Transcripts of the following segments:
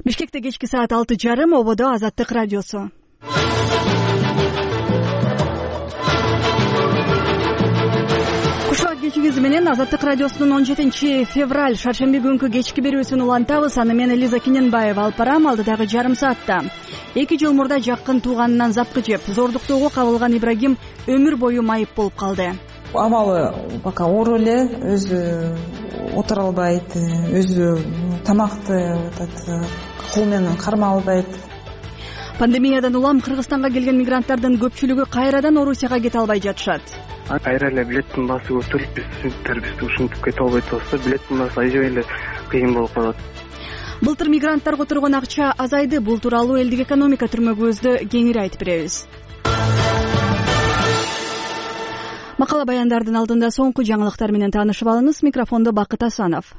Бишкекте кечки саат 6:30, ободо Азаттык радиосу. Кушак кечиңиз менен Азаттык радиосунун 17-февраль шаршемби күнкү кечки берүүсүн улантабыз. Аны мен Элиза Киненбаева алып барам. Алдыдагы жарым саатта 2 жыл мурда жакын тууганынан запкы жеп, зордуктоого кабылган Ибрагим өмүр бою майып болуп калды. Абалы пока оор эле, өзү отура албайт, өзү тамакты кол менен карма албайт. Пандемиядан улам Кыргызстанга келген мигранттардын көпчүлүгү кайрадан Орусияга кете албай жатышат. Кайра эле билеттин баасы көтөрүлүп, бизди ушинтип кете албай атабыз. Билеттин баасы аябай эле кыйын болуп калат. Былтыр мигранттарга турган акча азайды. Бул тууралуу элдик экономика түрмөгүбүздө кеңири айтып беребиз. Макала баяндардын алдында соңку жаңылыктар менен таанышып алыңыз. Микрофондо Бакыт Асанов.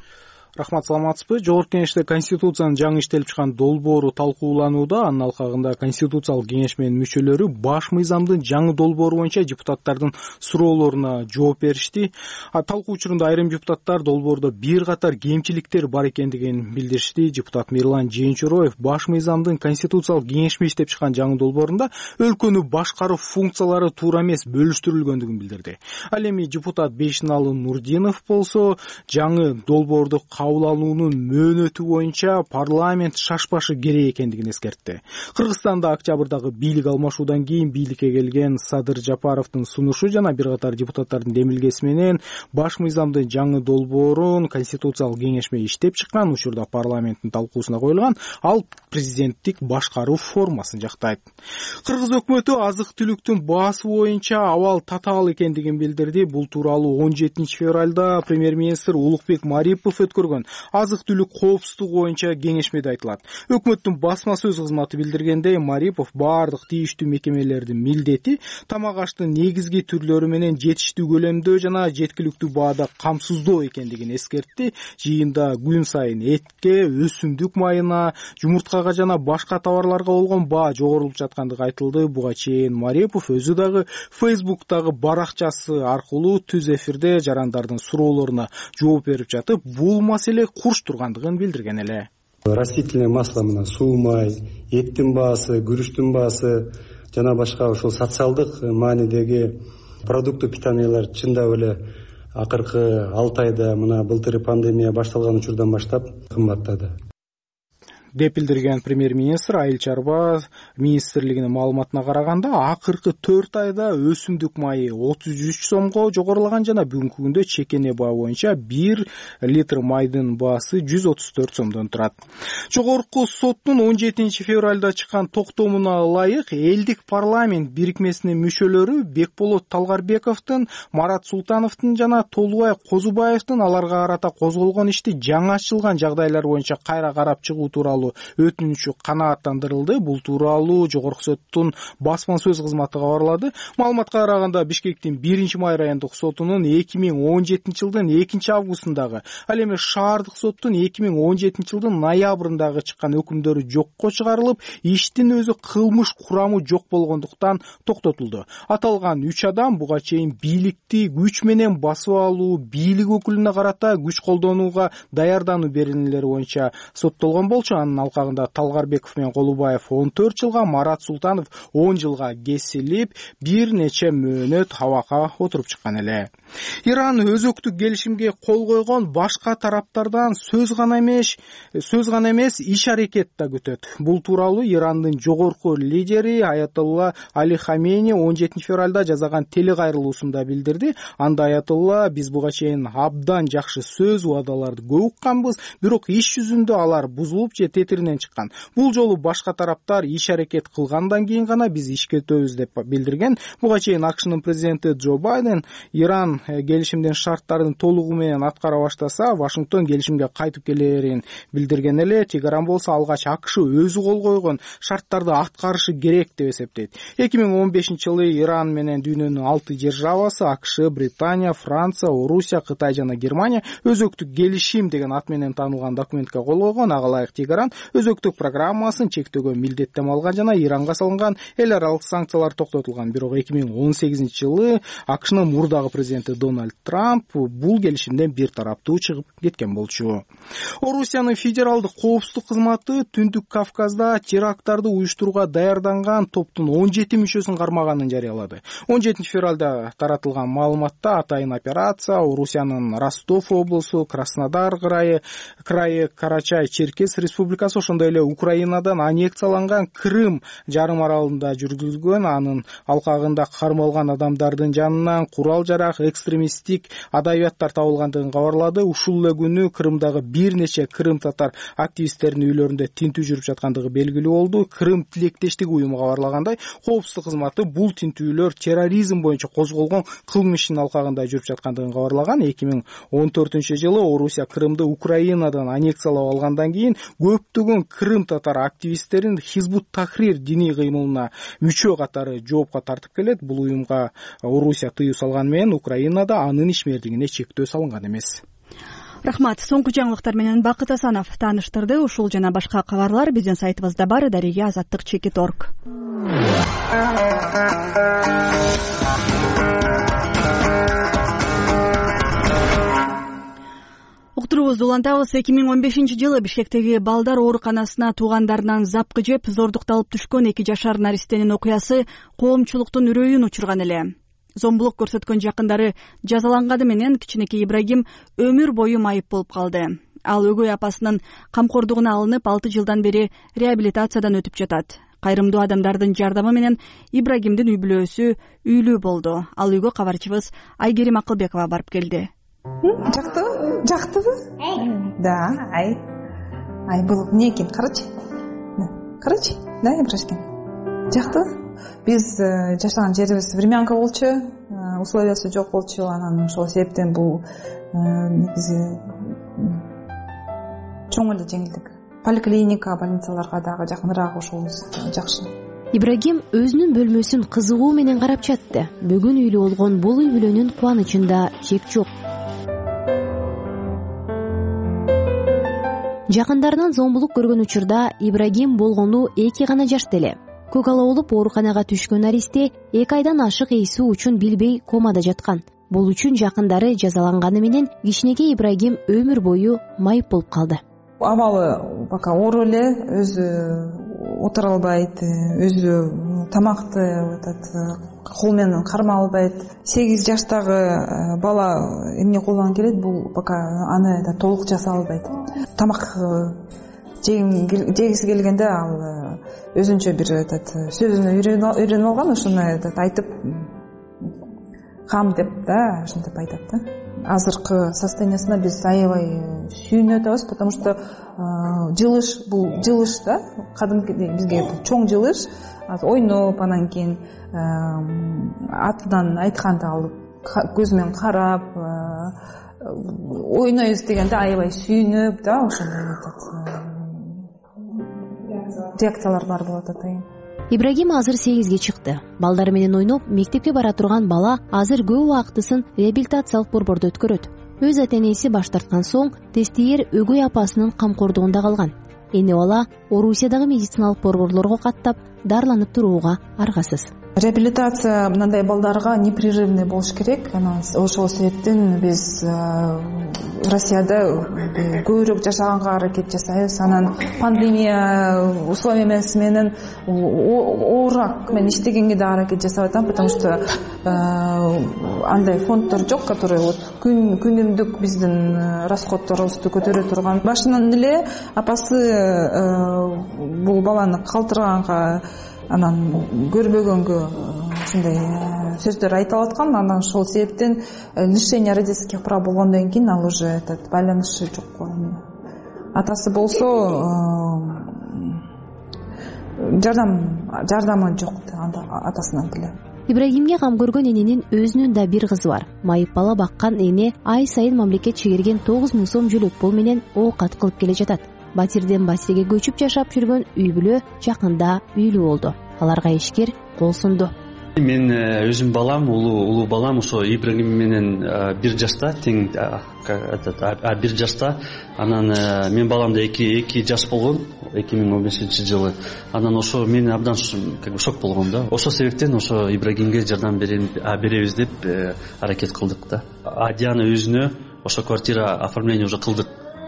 Рахмат, саламатсызбы? Жогорку Кеңеште Конституциянын жаңы иштелип чыккан долбоору талкууланууда. Анын алкагында Конституциялык кеңеш менен мүчөлөрү баш мыйзамдын жаңы долбоору боюнча депутаттардын суроолоруна жооп беришти. Талкуу учурунда айрым депутаттар долбоордо бир катар кемчиликтер бар экендигин билдиришти. Депутат Мирлан Жээнчороев баш мыйзамдын Конституциялык кеңешме иштеп чыккан жаңы долбоорунда өлкөнү башкаруу функциялары туура эмес бөлүштүрүлгөндүгүн билдирди. Ал эми депутат Бейшиналы Нурдинов болсо жаңы долбоорду кабыл алуунун мөөнөтү боюнча парламент шашпашы керек экендигин эскертти. Кыргызстанда октябрдагы бийлик алмашуудан кийин бийликке келген Садыр Жапаровдун сунушу жана бир катар депутаттардын демилгеси менен баш мыйзамдын жаңы долбоорун Конституциялык кеңешме иштеп чыккан учурда парламенттин талкуусуна коюлган. Ал президенттик башкаруу формасын жактайт. Кыргыз өкмөтү азык-түлүктүн баасы боюнча абал татаал экендигин билдирди. Бул тууралуу 17-февралда премьер-министр Улукбек Марипов өткөргөн азык-түлүк коопсуздугу боюнча кеңешмеде айтылат. Өкмөттүн басма сөз кызматы билдиргендей, Марипов баардык тийиштүү мекемелердин милдети тамак аштын негизги түрлөрү менен жетиштүү көлөмдө жана жеткиликтүү баада камсыздоо экендигин эскертти. Жыйында күн сайын этке, өсүмдүк майына, жумурткага жана башка товарларга болгон баа жогорулуп жаткандыгы айтылды. Буга чейин Марипов өзү дагы Facebook'тагы баракчасы аркылуу түз эфирде жарандардын суроолоруна жооп берип жатып, бул маселе курч тургандыгын билдирген эле. Растительное масло мына суу май, эттин баасы, күрүчтүн баасы жана башка ошол социалдык маанидеги продукты питаниялар чындап эле акыркы 6 айда мына былтыр пандемия башталган учурдан баштап кымбаттады деп билдирген премьер-министр. Айыл чарба министрлигинин маалыматына караганда акыркы 4 айда өсүмдүк майы 33 сомго жогорулаган жана бүгүнкү күндө чекене баа боюнча 1 литр майдын баасы 134 сомдон турат. Жогорку соттун 17-февралда чыккан токтомуна ылайык элдик парламент бирикмесинин мүчөлөрү Бекболот Талгарбековдун, Марат Султановдун жана Толубай Козубаевдин аларга карата козголгон ишти жаңы ачылган жагдайлар боюнча кайра карап чыгуу тууралуу өтүнүчү канааттандырылды. Бул тууралуу Жогорку соттун басма сөз кызматы кабарлады. Маалыматка караганда Бишкектин 1-май райондук сотунун 2017-жылдын 2-августундагы, ал эми шаардык соттун 2017-жылдын ноябрындагы чыккан өкүмдөрү жокко чыгарылып, иштин өзү кылмыш курамы жок болгондуктан токтотулду. Аталган 3 адам буга чейин бийликти күч менен басып алуу, бийлик өкүлүнө карата күч колдонууга даярдануу беренелери боюнча соттолгон болчу. Анын алкагында Талгарбеков менен Колубаев 14 жылга, Марат Султанов 10 жылга кесилип, бир нече мөөнөт абакка отуруп чыккан эле. Иран өзөктүк келишимге кол койгон башка тараптардан сөз гана эмес, иш-аракет да күтөт. Бул тууралуу Ирандын жогорку лидери Аятолла Али Хамейни 17-февралда жазган телекайрылуусунда билдирди. Анда Аятолла: "Биз буга чейин абдан жакшы сөз, уадаларды көп укканбыз, бирок иш жүзүндө алар бузулуп же тетиринен чыккан. Бул жолу башка тараптар иш-аракет кылгандан кийин гана биз ишке өтөбүз" деп билдирген. Буга чейин АКШнын президенти Джо Байден Иран келишимдин шарттарын толугу менен аткара баштаса, Вашингтон келишимге кайтып келерин билдирген эле. Тегеран болсо алгач АКШ өзү кол койгон шарттарды аткарышы керек деп эсептейт. 2015-жылы Иран менен дүйнөнүн 6 державасы АКШ, Британия, Франция, Орусия, Кытай жана Германия өзөктүк келишим деген ат менен таанылган документке кол койгон. Ага ылайык Тегеран өзөктүк программасын чектөөгө милдеттем алган жана Иранга салынган эл аралык санкциялар токтотулган. Бирок 2018-жылы АКШнын мурдагы президенти президенти Дональд Трамп бул келишимден бир тараптуу чыгып кеткен болчу. Орусиянын федералдык коопсуздук кызматы Түндүк Кавказда теракттарды уюштурууга даярданган топтун 17 мүчөсүн кармаганын жарыялады. 17 февралда таратылган маалыматта атайын операция Орусиянын Ростов облусу, Краснодар крайы, Карачай-Черкес республикасы, ошондой эле Украинадан аннексияланган Крым жарым аралында жүргүзүлгөн. Анын алкагында кармалган адамдардын жанынан курал-жарак, экстремисттик адабияттар табылгандыгын кабарлады. Ушул эле күнү Крымдагы бир нече крым татар активисттеринин үйлөрүндө тинтүү жүрүп жаткандыгы белгилүү болду. Крым тилектештик уюму кабарлагандай, коопсуздук кызматы бул тинтүүлөр терроризм боюнча козголгон кылмыш ишинин алкагында жүрүп жаткандыгын кабарлаган. 2014-жылы Орусия Крымды Украинадан аннексиялап алгандан кийин көптөгөн крым татар активисттерин Хизбут Тахрир диний кыймылына мүчө катары жоопко тартып келет. Бул уюмга Орусия тыюу салганы менен Украинада анын ишмердигине чектөө салынган эмес. Рахмат. Соңку жаңылыктар менен Бакыт Асанов тааныштырды. Ушул жана башка кабарлар биздин сайтыбызда бар. Дарига Азаттык.org. Уктуруубузду улантабыз. 2015-жылы Бишкектеги балдар ооруканасына туугандарынан запкы жеп зордукталып түшкөн 2 жашар наристенин окуясы коомчулуктун үрөйүн учурган эле. Зомбулук көрсөткөн жакындары жазаланганы менен кичинекей Ибрагим өмүр бою майып болуп калды. Ал өгөй апасынын камкордугуна алынып 6 жылдан бери реабилитациядан өтүп жатат. Кайрымдуу адамдардын жардамы менен Ибрагимдин үй бүлөсү үйлүү болду. Ал үйгө кабарчыбыз Айгерим Акылбекова барып келди. Жактыбы? Да, был не экен, карачы. Да, Ибрашкин. Жактыбы? Биз жашаган жерибиз времянка болчу, условиясы жок болчу, анан ошол себептен бул негизи чоң эле жеңилдик. Поликлиника, больницаларга дагы жакыныраак ошолубуз жакшы. Ибрагим өзүнүн бөлмөсүн кызыгуу менен карап жатты. Бүгүн үйлүү болгон бул үй бүлөнүн кубанычында чек жок. Жакындарынан зомбулук көргөн учурда Ибрагим болгону 2 гана жашта эле. Көк ала болуп ооруканага түшкөн наристе 2 айдан ашык эйсүү үчүн билбей комада жаткан. Бул үчүн жакындары жазаланганы менен кичинекей Ибрагим өмүр бою майып болуп калды. Абалы пока оор эле, өзү отура албайт, өзү тамакты кол менен карма албайт. 8 жаштагы бала эмне колдон келет, бул пока аны толук жаса албайт. Тамак жегиси келгенде ал өзүнчө бир сөзүнө үйрөнүп алган, ошону айтып кам деп да, ошентип айтат да. Азыркы состояниясына биз аябай сүйүнүп атабыз, потому что жылыш, бул жылыш да, кадимки бизге чоң жылыш, ойноп, анан кийин атынан айтканды алып көз менен карап ойнойбуз дегенде аябай сүйүнүп да, ошондой реакциялар бар болот атайын. Ибрагим азыр 8ге чыкты. Балдары менен ойноп, мектепке бара турган бала азыр көп убактысын реабилитациялык борбордо өткөрөт. Өз ата-энеси баш тарткан соң тестиер өгөй апасынын камкордугунда калган. Эне бала Орусиядагы медициналык борборлорго каттап, дарыланып турууга аргасыз. Реабилитация мындай балдарга непрерывный болуш керек. Ошол себептен биз Россияда көбүрөөк жашаганга аракет жасайбыз. Анан пандемия условиясы менен оорураак мен иштегенге да аракет жасап атам, потому что андай фонддор жок, который күнүмдүк биздин расходторубузду көтөрө турган. Башынан эле апасы бул баланы калтырганга, анан көрбөгөнгө ушундай сөздөр айтып аткан. Анан ошол себептен лишение родительских прав болгондон кийин ал уже байланышы жок. Атасы болсо жардамы жок атасынан деле. Ибрагимге кам көргөн эненин өзүнүн да бир кызы бар. Майып бала баккан эне ай сайын мамлекет чегерген 9 000 сом жөлөк пул менен оокат кылып келе жатат. Батирден батирге көчүп жашап жүргөн үй бүлө жакында үйлүү болду. Аларга ишкер кол сунду. Мен өзүм балам, улуу балам ошо Ибрагим менен бир жашта, тең 1 жашта. Анан мен баламда 2 жаш болгон 2015-жылы. Анан ошо мен абдан шок болгом да. Ошол себептен ошо Ибрагимге жардам беребиз деп аракет кылдык да. Адияны өзүнө ошо квартира оформление уже кылдык.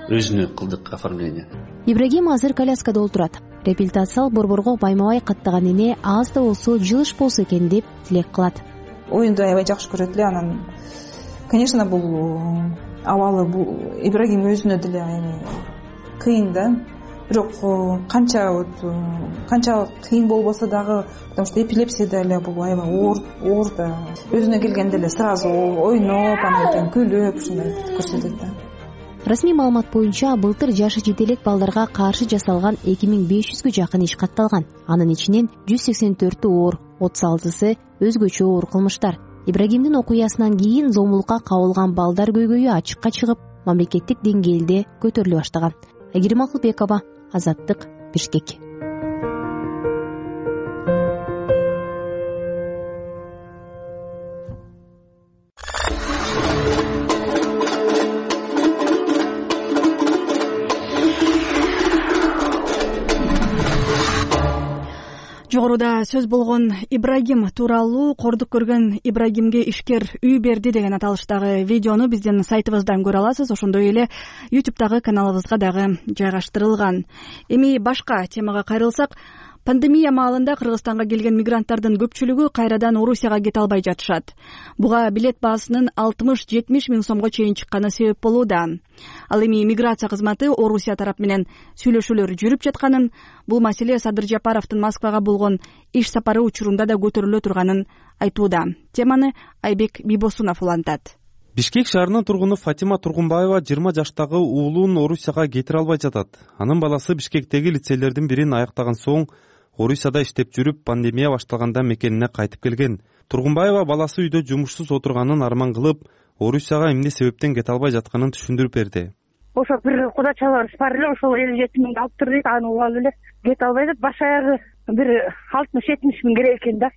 Өзүнө кылдык оформление. Ибрагим азыр коляскада отурат. Реабилитациялык борборго байма-бай каттаган эне аз да болсо жылыш болсо экен деп тилек кылат. Оюнду аябай жакшы көрөт эле. Анан конечно бул абалы бул Ибрагим өзүнө деле кыйын да. Бирок канча кыйын болбосо дагы, потому что эпилепсия деле бул аябай оор да. Өзүнө келгенде эле сразу ойноп, анан күлүп ушундай көрсөтөт да. Расмий маалымат боюнча былтыр жашы жете элек балдарга каршы жасалган 2500гө жакын иш катталган. Анын ичинен 184 оор, 36 өзгөчө оор кылмыштар. Ибрагимдин окуясынан кийин зомбулукка кабылган балдар көйгөйү ачыкка чыгып, мамлекеттик деңгээлде көтөрүлө баштаган. Айгерим Акылбекова, Азаттык, Бишкек. Жогоруда сөз болгон Ибрагим тууралуу кордук көргөн Ибрагимге ишкер үй берди деген аталыштагы видеону биздин сайтыбыздан көрө аласыз. Ошондой эле YouTube'дагы каналыбызга дагы жайгаштырылган. Эми башка темага кайрылсак, пандемия маалында Кыргызстанга келген мигранттардын көпчүлүгү кайрадан Орусияга кете албай жатышат. Буга билет баасынын 60-70 миң сомго чейин чыкканы себеп болууда. Ал эми миграция кызматы Орусия тарап менен сүйлөшүүлөр жүрүп жатканын, бул маселе Садыр Жапаровдун Москвага болгон иш сапары учурунда да көтөрүлө турганын айтууда. Теманы Айбек Бибосунов улантат. Бишкек шаарынын тургуну Фатима Тургунбаева 20 жаштагы уулун Орусияга кетире албай жатат. Анын баласы Бишкектеги лицейлердин бирин аяктаган соң Орусияда иштеп жүрүп, пандемия башталганда мекенине кайтып келген. Тургунбаева баласы үйдө жумушсуз отурганын арман кылып, Орусияга эмне себептен кете албай жатканын түшүндүрүп берди. Ошо бир кудачаларыбыз бар эле, ошол 57 миңди алып тур дейт, аны угуп алып эле кете албай деп, баш аягы бир 60-70 миң керек экен да,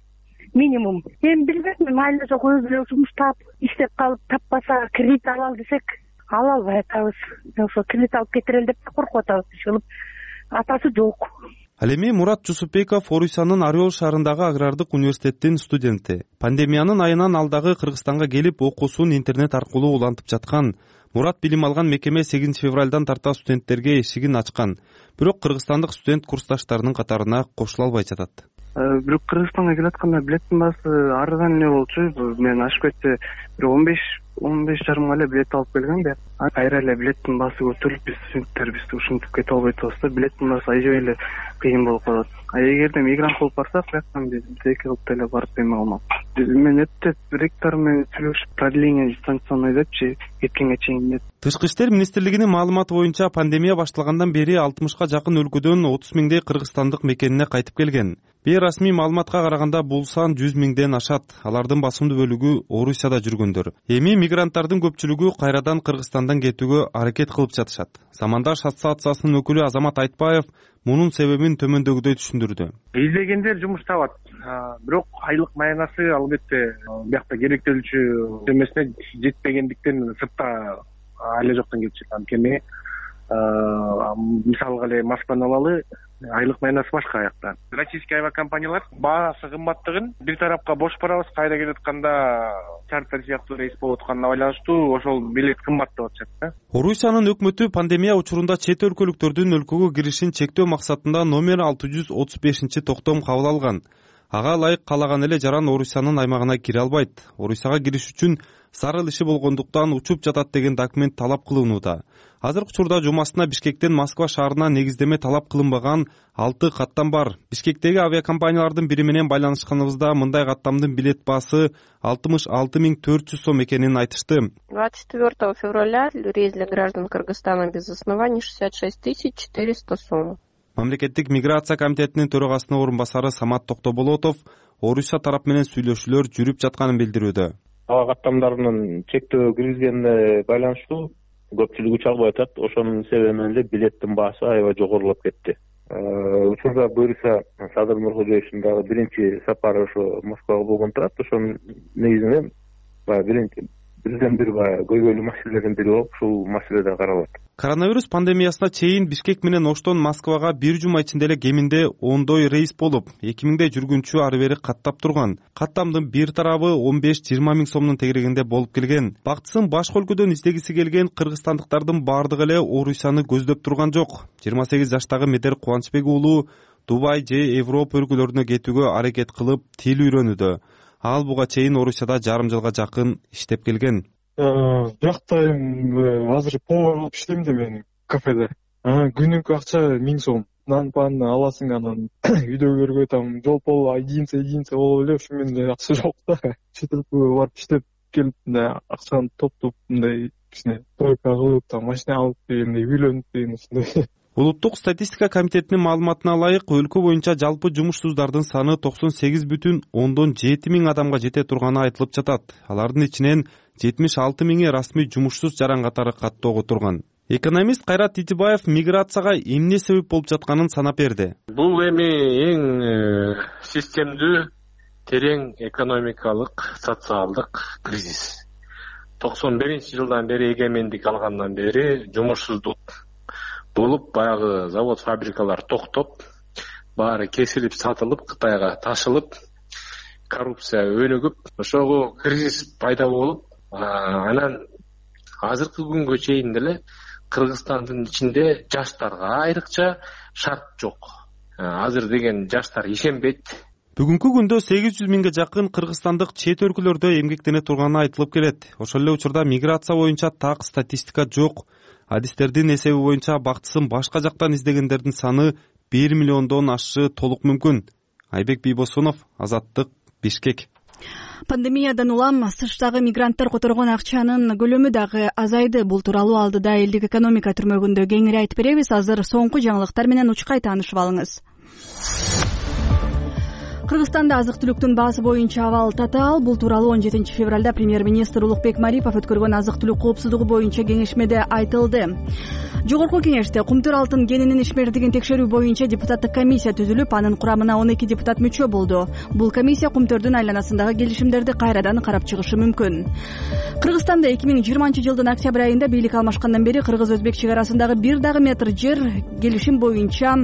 минимум. Эми билбейм, майла жок өзү эле жумуш таап, иштеп калып таппаса кредит алалы десек, ала албай атабыз. Ошо кредит алып кетирели деп коркуп атабыз, ишилип атасы жок. Ал эми Мурат Жусупбеков Орусиянын Орел шаарындагы агрардык университеттин студенти. Пандемиянын айынан алдагы Кыргызстанга келип, окуусун интернет аркылуу улантып жаткан. Мурат билим алган мекеме 8 февралдан тарта студенттерге эшигин ачкан. Бирок кыргызстандык студент курсташтарынын катарына кошула албай жатат. Бирок Кыргызстанга келатканда билеттин баасы арзан эле болчу. Мен ашып кетсе бир 15-15,5 эле билет алып келгем да. Кайра эле билеттин баасы көтөрүлүп, биз студенттербиз ушинтип кете албай атабыз да. Билеттин баасы аябай эле кыйын болуп калат. Эгерде мигрант болуп барсак, бияктан биз эки кылып деле барып эме алмак. Мен өтө ректор менен сүйлөшүп, продление дистанционный депчи, кеткенге чейин деп. Тышкы иштер министрлигинин маалыматы боюнча пандемия башталгандан бери 60га жакын өлкөдөн 30 миңдей кыргызстандык мекенине кайтып келген. Бейрасмий маалыматка караганда бул сан 100 миңден ашат. Алардын басымдуу бөлүгү Орусияда жүргөндөр. Эми мигранттардын көпчүлүгү кайрадан Кыргызстандан кетүүгө аракет кылып жатышат. Замандаш ассоциациясынын өкүлү Азамат Айтбаев мунун себебин төмөндөгүдөй түшүндүрдү. Издегендер жумуш табат. Бирок айлык маянасы албетте биякта керектелүүчү эмесине жетпегендиктен сыртта айлы жоктон кетишет. Анткени мисалга эле Москваны алалы, айлык маянасы башка аякта. Российский авиакомпаниялар баасы кымбаттыгын бир тарапка бош барабыз, кайда келатканда чартер сыяктуу рейс болуп атканына байланыштуу ошол билет кымбат деп атышат да. Орусиянын өкмөтү пандемия учурунда чет өлкөлүктөрдүн өлкөгө киришин чектөө максатында номер 635-токтом кабыл алган. Ага ылайык каалаган эле жаран Орусиянын аймагына кире албайт. Орусияга кириш үчүн зарыл иши болгондуктан учуп жатат деген документ талап кылынууда. Азыркы учурда жумасына Бишкектен Москва шаарына негиздеме талап кылынбаган 6 каттам бар. Бишкектеги авиакомпаниялардын бири менен байланышканыбызда мындай каттамдын билет баасы 66,400 сом экенин айтышты. 24 февраля рейс для граждан Кыргызстана без оснований 66 400 сом. Мамлекеттик миграция комитетинин төрагасынын орун басары Самат Токтоболотов Орусия тарап менен сүйлөшүүлөр жүрүп жатканын билдирүүдө. Ага каттамдарынын чектөө киргизгенине байланыштуу көпчүлүгү чалбай атат. Ошонун себеби менен эле билеттин баасы аябай жогорулап кетти. Учурда буюрса Садыр Нуркожоевичтин дагы биринчи сапары ошо Москвага болгон турат. Ошонун негизинен баягы бирден бир баягы көйгөйлүү маселелердин бири болуп ушул маселе да каралат. Коронавирус пандемиясына чейин Бишкек менен Оштон Москвага бир жума ичинде эле кеминде 10 рейс болуп, 2000 жүргүнчү ары бери каттап турган. Каттамдын бир тарабы 15-20 миң сомдун тегерегинде болуп келген. Бактысын башка өлкөдөн издегиси келген кыргызстандыктардын баардыгы эле Орусияны көздөп турган жок. 28 жаштагы Медер Кубанычбек уулу Дубай же Европа өлкөлөрүнө кетүүгө аракет кылып тил үйрөнүүдө. Ал буга чейин Орусияда жарым жылга жакын иштеп келген. Биякта азыр повар болуп иштейм да мен кафеде. Күнүгө акча 1000 сом. Нан пан аласың, анан үйдөгүлөргө там жолпол единица болуп эле ушу менен акча жок да. Чет өлкөгө барып иштеп келип мындай акчаны топтоп мындай кичине тройка кылып там машина алып дегендей үйлөнүп деген ушундай. Улуттук статистика комитетинин маалыматына ылайык, өлкө боюнча жалпы жумушсуздардын саны 98,7 миң адамга жете турганы айтылып жатат. Алардын ичинен 76 миңи расмий жумушсуз жаран катары каттоого турган. Экономист Кайрат Титибаев миграцияга эмне себеп болуп жатканын санап берди. Бул эми эң системдүү, терең экономикалык, социалдык кризис. 91-жылдан бери эгемендик алгандан бери жумушсуздук болуп, баягы завод, фабрикалар токтоп, баары кесилип, сатылып, Кытайга ташылып, коррупция өнүгүп, ошого кризис пайда болуп, анан азыркы күнгө чейин деле Кыргызстандын ичинде жаштарга айрыкча шарт жок. Азыр деген жаштар ишенбейт. Бүгүнкү күндө 800 миңге жакын кыргызстандык чет өлкөлөрдө эмгектене турганы айтылып келет. Ошол эле учурда миграция боюнча так статистика жок. Адистердин эсеби боюнча бактысын башка жактан издегендердин саны 1 миллиондон ашы толук мүмкүн. Айбек Бийбосунов, Азаттык, Бишкек. Пандемиядан улам сырттагы мигранттар которгон акчанын көлөмү дагы азайды. Бул тууралуу алдыда элдик экономика түрмөгүндө кеңири айтып беребиз. Азыр соңку жаңылыктар менен учкай таанышып алыңыз. Кыргызстанда азык-түлүктүн баасы боюнча абал татаал. Бул тууралуу 17 февралда премьер-министр Улукбек Марипов өткөргөн азык-түлүк коопсуздугу боюнча кеңешмеде айтылды. Жогорку кеңеште кумтур алтын кенинин ишмердигин текшерүү боюнча депутаттык комиссия түзүлүп, анын курамына 12 депутат мүчө болду. Бул комиссия кумтөрдүн айланасындагы келишимдерди кайрадан карап чыгышы мүмкүн. Кыргызстанда 2020 жылдын октябрь айында бийлик алмашкандан бери кыргыз-өзбек чек арасындагы бир дагы метр жер келишим боюнча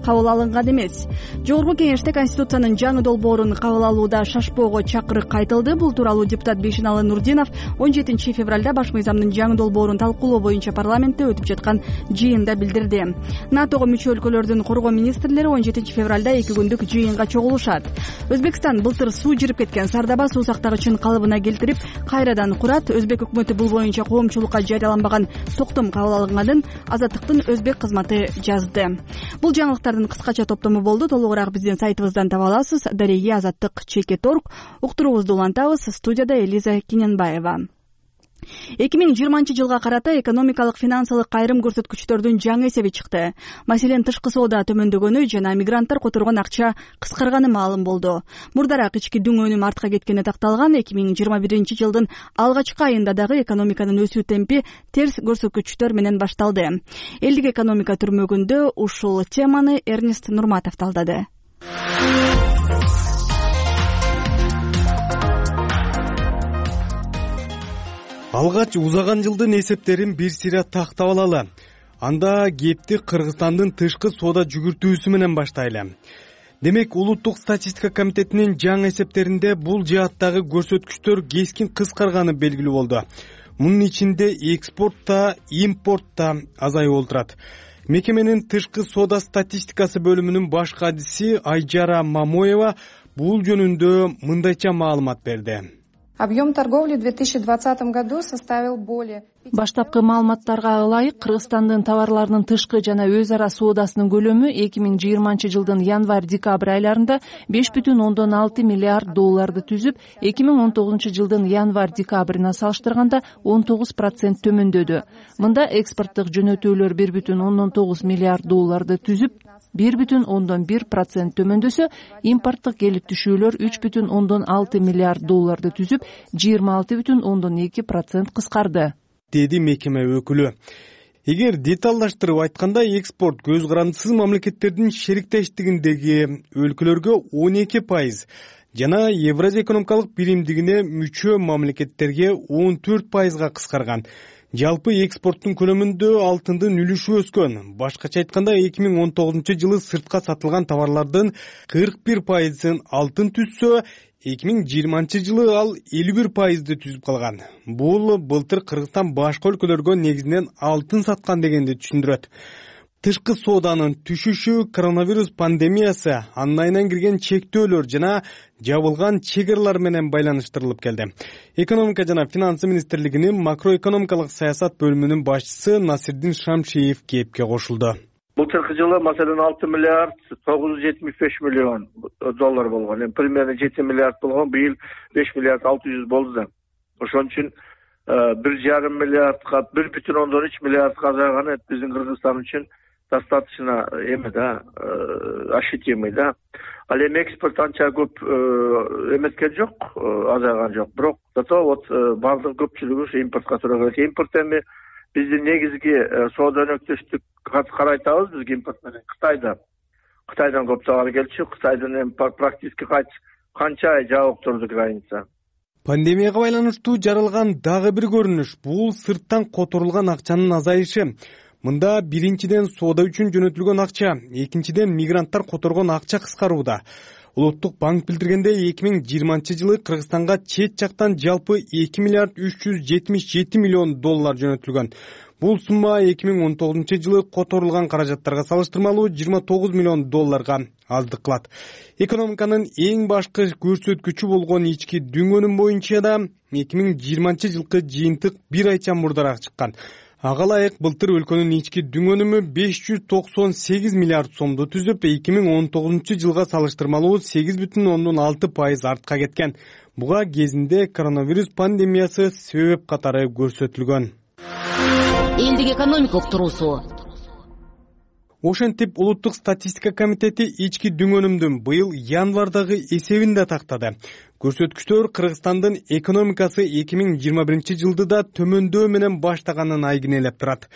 кабыл алынган эмес. Жогорку кеңеште Конституциянын жаңы долбоорун кабыл алууда шашпоого чакырык айтылды. Бул тууралуу депутат Бейшеналы Нурдинов 17 февралда баш мыйзамдын жаңы долбоорун талкуулоо боюнча парламентте өтүп жаткан жыйында билдирди. НАТОго мүчө өлкөлөрдүн коргоо министрлери 17 февралда 2 күндүк жыйынга чогулушат. Өзбекстан былтыр суу жирип кеткен Сардаба суу сактагычын калыбына келтирип, кайрадан курат. Өзбек өкмөтү бул боюнча коомчулукка жарыяланбаган токтом кабыл алынганын Азаттыктын өзбек кызматы жазды. Бул жаңылыктардын кыскача топтому болду. Толугураак биздин сайтыбыздан таба аласыз. Дареги Азаттык ЧК.орг. Уктуруубузду улантабыз. Студияда Элиза Киненбаева. 2020 жылга карата экономикалык финансылык кайрым көрсөткүчтөрдүн жаңы эсеби чыкты. Маселен, тышкы соода төмөндөгөнү жана мигранттар которгон акча кыскарганы маалым болду. Мурдараак ички дүң өнүм артка кеткени такталган. 2021 жылдын алгачкы айында дагы экономиканын өсүү темпи терс көрсөткүчтөр менен башталды. Элдик экономика түрмөгүндө ушул теманы Эрнест Нурматов талдады. Алгач узаган жылдын эсептерин бир сыйра тактап алалы. Анда кепти Кыргызстандын тышкы соода жүгүртүүсү менен баштайлы. Демек, Улуттук статистика комитетинин жаңы эсептеринде бул жааттагы көрсөткүчтөр кескин кыскарганы белгилүү болду. Мунун ичинде экспортто, импортто азаюу олтурат. Мекеменин тышкы соода статистикасы бөлүмүнүн баш кадиси Айжара Мамоева бул жөнүндө мындайча маалымат берди. Объем торговли в 2020 году составил более... Баштапкы маалыматтарга ылайык, Кыргызстандын товарларынын тышкы жана өз ара соодасынын көлөмү 2020 жылдын январь-декабрь айларында 5,6 миллиард долларды түзүп, 2019 жылдын январь-декабрына салыштырганда 19% төмөндөдү. Мында экспорттук жөнөтүүлөр 1,9 миллиард долларды түзүп, 1,1% төмөндөсө, импорттук келип түшүүлөр 3,6 миллиард долларды түзүп, 26,2% кыскарды, деди мекеме өкүлү. Эгер деталдаштырып айтканда, экспорт көз карандысыз мамлекеттердин шериктештигиндеги өлкөлөргө 12%, жана Евразия экономикалык биримдигине мүчө мамлекеттерге 14%га кыскарган. Жалпы экспорттун көлөмүндө алтындын үлүшү өскөн. Башкача айтканда, 2019-жылы сыртка сатылган товарлардын 41%ын алтын түзсө, 2020-жылы ал 51%ды түзүп калган. Бул былтыр Кыргызстан башка өлкөлөргө негизинен алтын саткан дегенди түшүндүрөт. Тышкы сооданын түшүшү коронавирус пандемиясы, анын айынан кирген чектөөлөр жана жабылган чек аралар менен байланыштырылып келди. Экономика жана финансы министрлигинин макроэкономикалык саясат бөлүмүнүн башчысы Насирдин Шамшиев кепке кошулду. Былтыркы жылы маселен 6 миллиард 975 миллион доллар болгон. Примерно 7 миллиард болгон, быйыл 5 миллиард 600 болду да. Ошон үчүн 1,5 миллиардга 1,3 миллиардга азайганы биздин Кыргызстан үчүн достаточно ощутимый да. Ал эми экспорт анча көп эмескен жок, азайган жок. Бирок зато вот бардык көпчүлүгү ушу импортко туура келет. Импорт эми биздин негизги соода өнөктөштүк карайтабыз биз импорт менен Кытайдан көп товар келчү. Кытайдын эми практически канча ай жабык турду граница. Пандемияга байланыштуу жаралган дагы бир көрүнүш — бул сырттан которулган акчанын азайышы. Мында биринчиден соода үчүн жөнөтүлгөн акча, экинчиден мигранттар которгон акча кыскарууда. Улуттук банк билдиргенде 2020-жылы Кыргызстанга чет жактан жалпы 2 миллиард 377 миллион доллар жөнөтүлгөн. Бул сумма 2019-жылы которулган каражаттарга салыштырмалуу 29 миллион долларга аздык кылат. Экономиканын эң башкы көрсөткүчү болгон ички дүң өнүм боюнча да 2020-жылкы жыйынтык бир айча мурдараак чыккан. Ага ылайык былтыр өлкөнүн ички дүң өнүмү 598 миллиард сомду түзүп, 2019-жылга салыштырмалуу 8,6% артка кеткен. Буга кезинде коронавирус пандемиясы себеп катары көрсөтүлгөн. Элдик экономика уктуруусу. Ошентип Улуттук статистика комитети ички дүң өнүмдүн быйыл январдагы эсебин да тактады. Көрсөткүчтөр Кыргызстандын экономикасы 2021-жылды да төмөндөө менен баштаганын айгинелеп турат.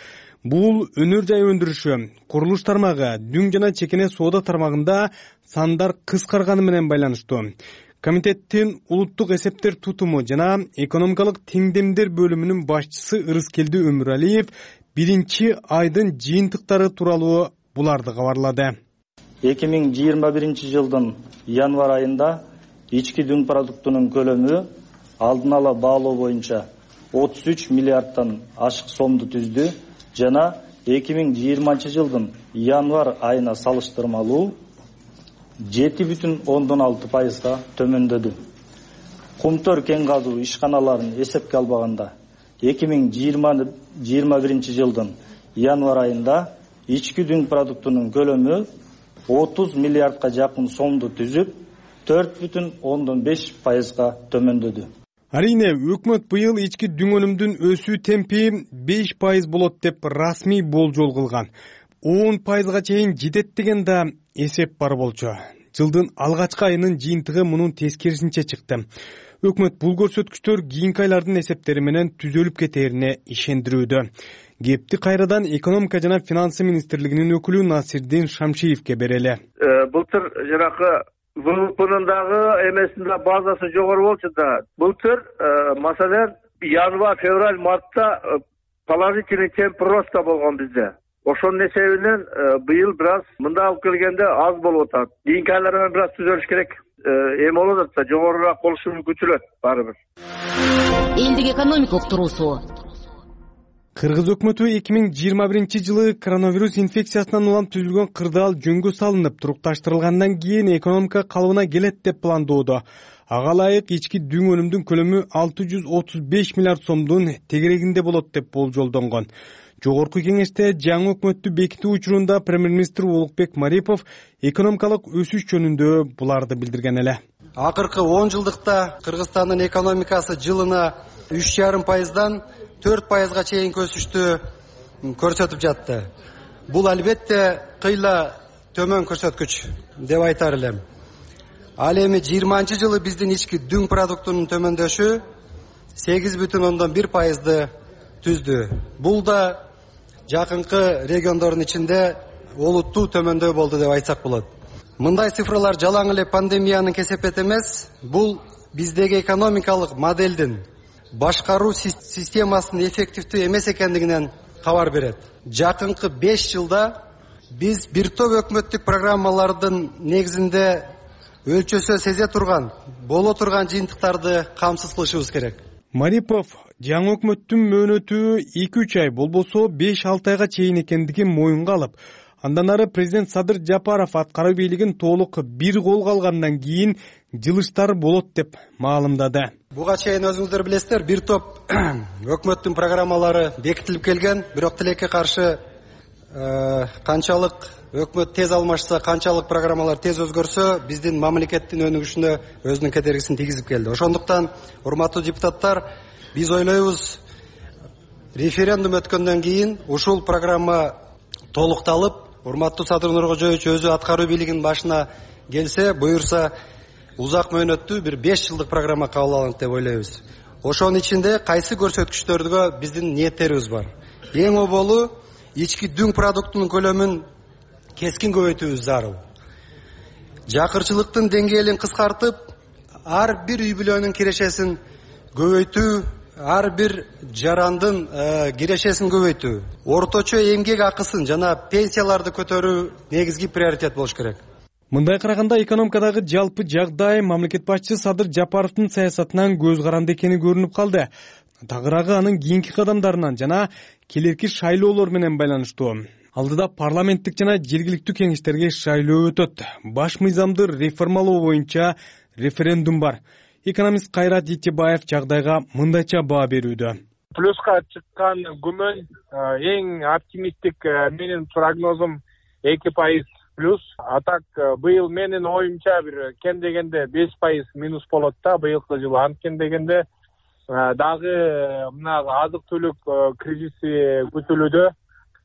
Бул өнөр жай өндүрүшү, курулуш тармагы, дүң жана чекене соода тармагында сандар кыскарганы менен байланыштуу. Комитеттин улуттук эсептер тутуму жана экономикалык теңдемдер бөлүмүнүн башчысы Ырыскелди Өмүралиев биринчи айдын жыйынтыктары тууралуу буларды кабарлады. 2021-жылдын январь айында ички дүң продуктунун көлөмү алдын ала баалоо боюнча 33 миллиардтан ашык сомду түздү жана 2020-жылдын январь айына салыштырмалуу 7,6%га төмөндөдү. Кумтөр кен казуу ишканаларын эсепке албаганда 2021-жылдын январь айында ички дүң продуктунун көлөмү 30 миллиардга жакын сомду түзүп 4,5%га төмөндөдү. Арийне, өкмөт быйыл ички дүң өнүмдүн өсүү темпи 5% болот деп расмий болжол кылган. 10%га чейин жетет деген да эсеп бар болчу. Жылдын алгачкы айынын жыйынтыгы мунун тескерисинче чыкты. Өкмөт бул көрсөткүчтөр кийинки айлардын эсептери менен түзөлүп кетерине ишендирүүдө. Кепти кайрадан экономика жана финансы министрлигинин өкүлү Насирдин Шамшиевке берели. Былтыр жанакы ВВПнын дагы эмесинде базасы жогору болчу да. Былтыр маселен январь, февраль, мартта положительный темп роста болгон бизде. Ошонун эсебинен быйыл бир аз мында алып келгенде аз болуп атат. Кийинки айлар менен бир аз түзөлүш керек. Эми болуп атат, жогорураак болушу күтүлөт баары бир. Элдик экономика уктуруусу. Кыргыз өкмөтү 2021-жылы коронавирус инфекциясынан улам түзүлгөн кырдаал жөнгө салынып, турукташтырылгандан кийин экономика калыбына келет деп пландоодо. Ага ылайык ички дүң өнүмдүн көлөмү 635 миллиард сомдун тегерегинде болот деп болжолдонгон. Жогорку кеңеште жаңы өкмөттү бекитүү учурунда премьер-министр Улукбек Марипов экономикалык өсүш жөнүндө буларды билдирген эле. Акыркы 10 жылдыкта Кыргызстандын экономикасы жылына 3,5%дан 4%га чейин өсүштү көрсөтүп жатты. Бул албетте кыйла төмөн көрсөткүч деп айтар элем. Ал эми 20-жылы биздин ички дүң продуктунун төмөндөшү 8,1%ды түздү. Бул да жакынкы региондордун ичинде олуттуу төмөндөй болду деп айтсак болот. Мындай цифралар жалаң эле пандемиянын кесепети эмес, бул биздеги экономикалык моделдин башкаруу системасынын эффективдүү эмес экендигинен кабар берет. Жакынкы 5 жылда биз бир топ өкмөттүк программалардын негизинде өлчөсү сезе турган, боло турган жыйынтыктарды камсыз кылышыбыз керек. Марипов жаңы өкмөттүн мөөнөтү 2-3 ай болбосо 5-6 айга чейин экендигин моюнга алып, андан ары президент Садыр Жапаров аткаруу бийлигин толук бир колго алгандан кийин жылыштар болот деп маалымдады. Буга чейин өзүңүздөр билесиздер, бир топ өкмөттүн программалары бекитилип келген, бирок тилекке каршы канчалык өкмөт тез алмашса, канчалык программалар тез өзгөрсө, биздин мамлекеттин өнүгүшүнө өзүнүн кедергисин тийгизип келди. Ошондуктан, урматтуу депутаттар, биз ойлойбуз, референдум өткөндөн кийин ушул программа толукталып, урматтуу Садыр Нуркожоевич өзү аткаруу бийлигинин башына келсе, буюрса, узак мөөнөттүү бир 5 жылдык программа кабыл алынат деп ойлойбуз. Ошонун ичинде кайсы көрсөткүчтөргө биздин ниеттерибиз бар. Эң оболу ички дүң продуктунун көлөмүн кескин көбөйтүүбүз зарыл. Жакырчылыктын деңгээлин кыскартып, ар бир үй бүлөнүн кирешесин көбөйтүү, ар бир жарандын кирешесин көбөйтүү, орточо эмгек акысын жана пенсияларды көтөрүү негизги приоритет болуш керек. Мындай караганда экономикадагы жалпы жагдай мамлекет башчысы Садыр Жапаровдун саясатынан көз каранды экени көрүнүп калды. Тагыраагы анын кийинки кадамдарынан жана келерки шайлоолор менен байланыштуу. Алдыда парламенттик жана жергиликтүү кеңештерге шайлоо өтөт. Баш мыйзамды реформалоо боюнча референдум бар. Экономист Кайрат Итебаев жагдайга мындайча баа берүүдө. Плюска чыккан күмөн эң оптимисттик менин прогнозум 2% плюс. А так быйыл менин оюмча бир кем дегенде 5% минус болот да быйылкы жылы. Анткени дегенде дагы мына азык-түлүк кризиси күтүлүүдө.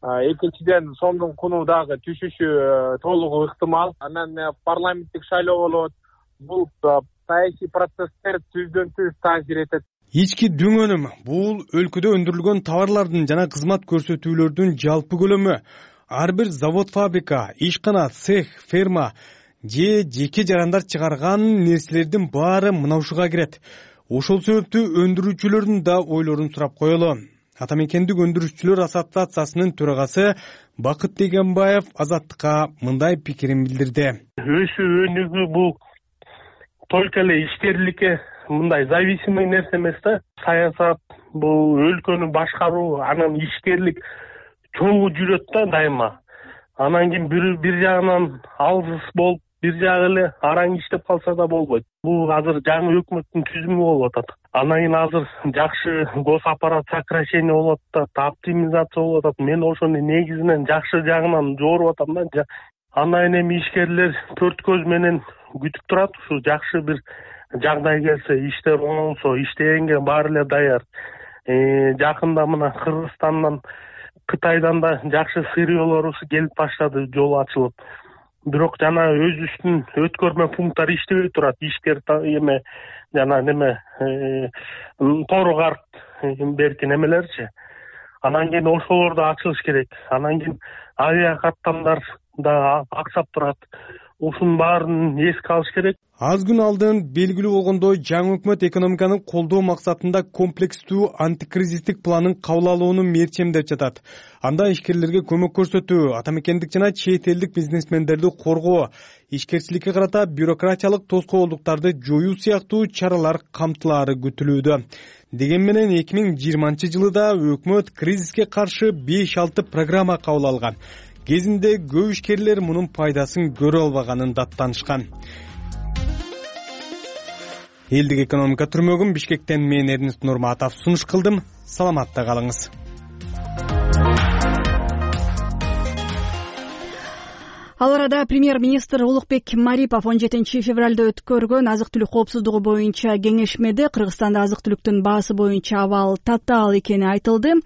Экинчиден сомдун куну дагы түшүшү толугу ыктымал. Анан парламенттик шайлоо болот. Бул саясий процесстер түздөн-түз таасир этет. Ички дүң өнүм бул өлкөдө өндүрүлгөн товарлардын жана кызмат көрсөтүүлөрдүн жалпы көлөмү. Ар бир завод, фабрика, ишкана, цех, ферма же жеке жарандар чыгарган нерселердин баары мына ушуга кирет. Ошол себептүү өндүрүүчүлөрдүн да ойлорун сурап коелу. Ата мекендик өндүрүүчүлөр ассоциациясынын төрагасы Бакыт Дегенбаев Азаттыкка мындай пикирин билдирди. Өсүү өнүгүү бул только эле ишкерликке мындай зависимый нерсе эмес да. Саясат бул өлкөнү башкаруу, анан ишкерлик чогуу жүрөт да дайыма. Анан кийин бир жагынан алсыз болуп, бир жагы эле араң иштеп калса да болбойт. Бул азыр жаңы өкмөттүн түзүмү болуп атат. Анан кийин азыр жакшы госаппарат сокращение болуп атат, оптимизация болуп атат. Мен ошону негизинен жакшы жагынан жооруп атам да. Андан эми ишкерлер төрт көз менен күтүп турат. Ушу жакшы бир жагдай келсе, иштер оңолсо, иштегенге баары эле даяр. Жакында мына Кыргызстандан, Кытайдан да жакшы сырьёолор келип баштады, жол ачылып. Бирок жана өзүбүздүн өткөрмө пункттар иштебей турат. Ишкер эме жана неме тору карт берки немелерчи. Анан кийин ошолорду ачылыш керек. Анан кийин авиа каттамдар да аксап турат. Ушунун баарын эске алыш керек. Аз күн алдын белгилүү болгондой, жаңы өкмөт экономиканы колдоо максатында комплекстүү антикризистик планын кабыл алууну мерчемдеп жатат. Анда ишкерлерге көмөк көрсөтүү, ата мекендик жана чет элдик бизнесмендерди коргоо, ишкерчиликке карата бюрократиялык тоскоолдуктарды жоюу сыяктуу чаралар камтылаары күтүлүүдө. Деген менен 2020-жылы да өкмөт кризиске каршы 5-6 программа кабыл алган. Кезинде көп ишкерлер мунун пайдасын көрө албаганын даттанышкан. Элдик экономика түрмөгүн Бишкектен мен Эрнест Нурматов сунуш кылдым. Саламатта калыңыз. Ал арада премьер-министр Улукбек Марипов 17 февралда өткөргөн азык-түлүк коопсуздугу боюнча кеңешмеде Кыргызстанда азык-түлүктүн баасы боюнча абал татаал экени айтылды.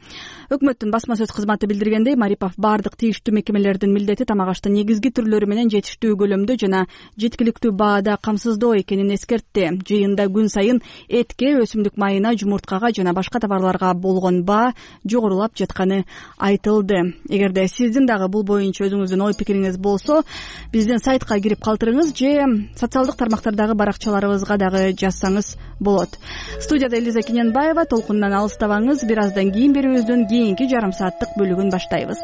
Өкмөттүн басма сөз кызматы билдиргендей, Марипов бардык тийиштүү мекемелердин милдети тамак аштын негизги түрлөрү менен жетиштүү көлөмдө жана жеткиликтүү баада камсыздоо экенин эскертти. Жыйында күн сайын этке, өсүмдүк майына, жумурткага жана башка товарларга болгон баа жогорулап жатканы айтылды. Эгерде сиздин дагы бул боюнча өзүңүздүн ой пикириңиз болсо, биздин сайтка кирип калтырыңыз же социалдык тармактардагы баракчаларыбызга дагы жазсаңыз болот. Студияда Элиза Кененбаева. Толкундан алыстабаңыз. Бир аздан кийин берүүбүздүн кийинки жарым сааттык бөлүгүн баштайбыз.